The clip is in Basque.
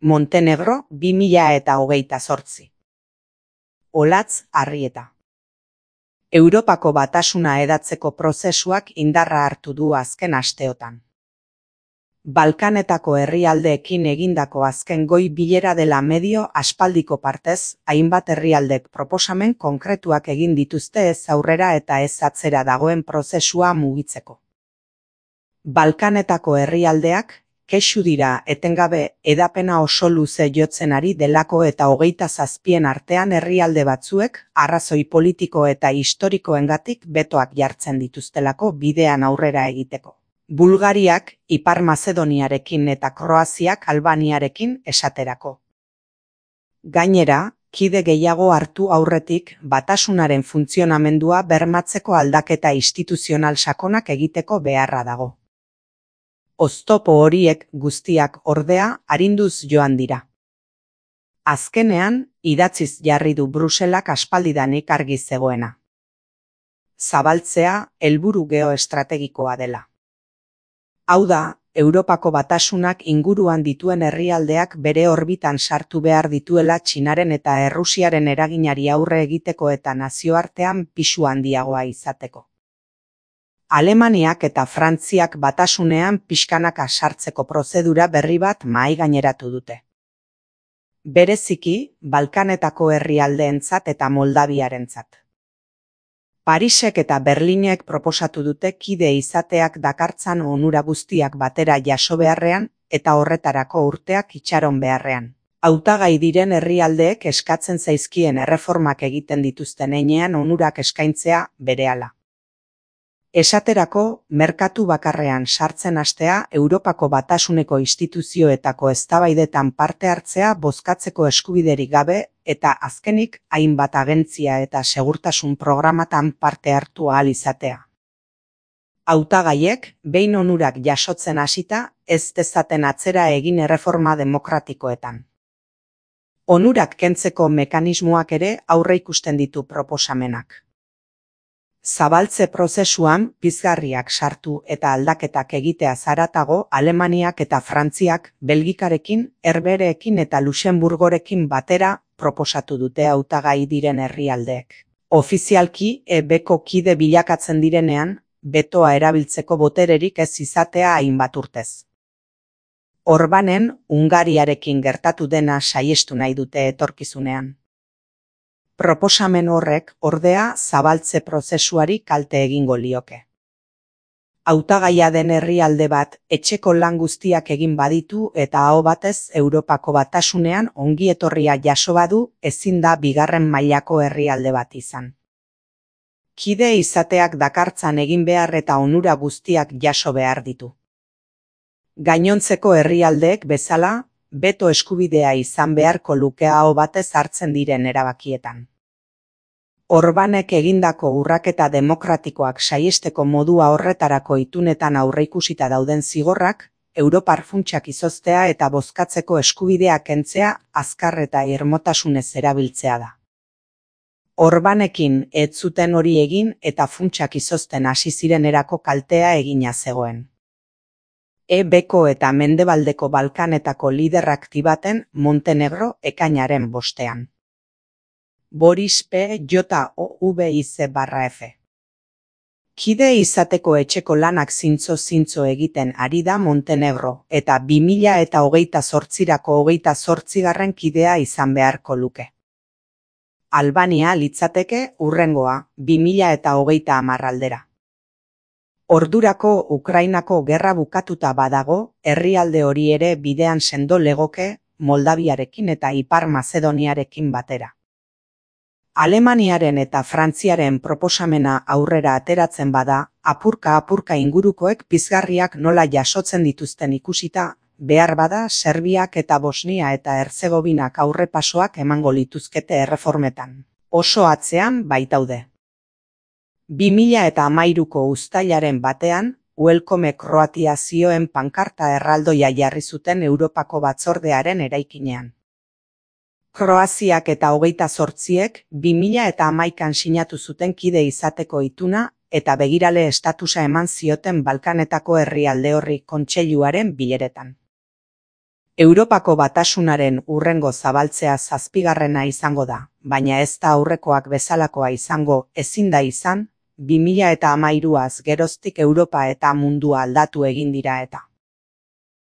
Montenegro 2028. Olatz Arrieta. Europako Batasuna hedatzeko prozesuak indarra hartu du azken asteotan. Balkanetako herrialdeekin egindako azken goi bilera dela medio aspaldiko partez, hainbat herrialdek proposamen konkretuak egin dituzte ez aurrera eta ez atzera dagoen prozesua mugitzeko. Balkanetako herrialdeak kexu dira etengabe edapena oso luze jotzen ari delako eta 27 artean herrialde batzuek arrazoi politiko eta historikoengatik betoak jartzen dituztelako bidean aurrera egiteko. Bulgariak Ipar Mazedoniarekin eta Kroaziak Albaniarekin esaterako. Gainera, kide gehiago hartu aurretik batasunaren funtzionamendua bermatzeko aldaketa instituzional sakonak egiteko beharra dago. Oztopo horiek guztiak ordea arinduz joan dira. Azkenean, idatziz jarri du Bruselak aspaldidanik argi zegoena. Zabaltzea helburu geoestrategikoa dela. Hau da, Europako Batasunak inguruan dituen herrialdeak bere orbitan sartu behar dituela Txinaren eta Errusiaren eraginari aurre egiteko eta nazioartean pisu handiagoa izateko. Alemaniak eta Frantziak Batasunean pixkanaka sartzeko prozedura berri bat mahaigaineratu dute. Bereziki, Balkanetako herrialdeentzat eta Moldaviarentzat. Parisek eta Berlinek proposatu dute kide izateak dakartzan onura guztiak batera jaso beharrean eta horretarako urteak itxaron beharrean. Hautagai diren herrialdeek eskatzen zaizkien erreformak egiten dituzten heinean onurak eskaintzea berehala. Esaterako, merkatu bakarrean sartzen hastea Europako Batasuneko instituzioetako eztabaidetan parte hartzea bozkatzeko eskubiderik gabe eta azkenik hainbat agentzia eta segurtasun programatan parte hartu ahal izatea. Hautagaiek, behin onurak jasotzen hasita, ez dezaten atzera egin erreforma demokratikoetan. Onurak kentzeko mekanismoak ere aurreikusten ditu proposamenak. Zabaltze prozesuan pizgarriak sartu eta aldaketak egitea zaratago Alemaniak eta Frantziak Belgikarekin, Herbehereekin eta Luxenburgorekin batera proposatu dute hautagai diren herrialdeek. Ofizialki EB-ko kide bilakatzen direnean, betoa erabiltzeko botererik ez izatea hainbat urtez. Orbanen Hungariarekin gertatu dena saihestu nahi dute etorkizunean. Proposamen horrek ordea zabaltze prozesuari kalte egingo lioke. Hautagaia den herrialde bat etxeko lan guztiak egin baditu eta aho batez Europako Batasunean ongi etorria jaso badu ezin da bigarren mailako herrialde bat izan. Kide izateak dakartzan egin behar eta onura guztiak jaso behar ditu. Gainontzeko herrialdeek bezala, beto eskubidea izan beharko luke aho batez hartzen diren erabakietan. Orbanek egindako urraketa demokratikoak saihesteko modua horretarako itunetan aurreikusita dauden zigorrak, Europar funtsak izoztea eta bozkatzeko eskubidea kentzea azkar eta irmotasunez erabiltzea da. Orbanekin ez zuten hori egin eta funtsak izozten hasi zirenerako kaltea egina zegoen. EB-ko eta Mendebaldeko Balkanetako lider aktibaten Montenegro ekainaren 5. Boris P.J.O.V.I.C.F. Kide izateko etxeko lanak zintzo egiten ari da Montenegro eta 2028rako 28. kidea izan beharko luke. Albania litzateke hurrengoa 2030 aldera. Ordurako Ukrainako gerra bukatuta badago, herrialde hori ere bidean sendo legoke Moldaviarekin eta Ipar Mazedoniarekin batera. Alemaniaren eta Frantziaren proposamena aurrera ateratzen bada, apurka ingurukoek pizgarriak nola jasotzen dituzten ikusita, behar bada Serbiak eta Bosnia eta Herzegovinak aurrepasoak emango lituzkete erreformetan. Oso atzean baitaude. 2013ko uztailaren batean, Welcome Kroatia zioen pankarta erraldoia jarri zuten Europako Batzordearen eraikinean. Kroaziak eta 28ek 2011an sinatu zuten kide izateko ituna eta begirale estatusa eman zioten Balkanetako herrialde horri kontseiluaren bileretan. Europako Batasunaren hurrengo zabaltzea 7. izango da, baina ez da aurrekoak bezalakoa izango, ezin da izan, 2013az geroztik Europa eta mundua aldatu egin dira eta.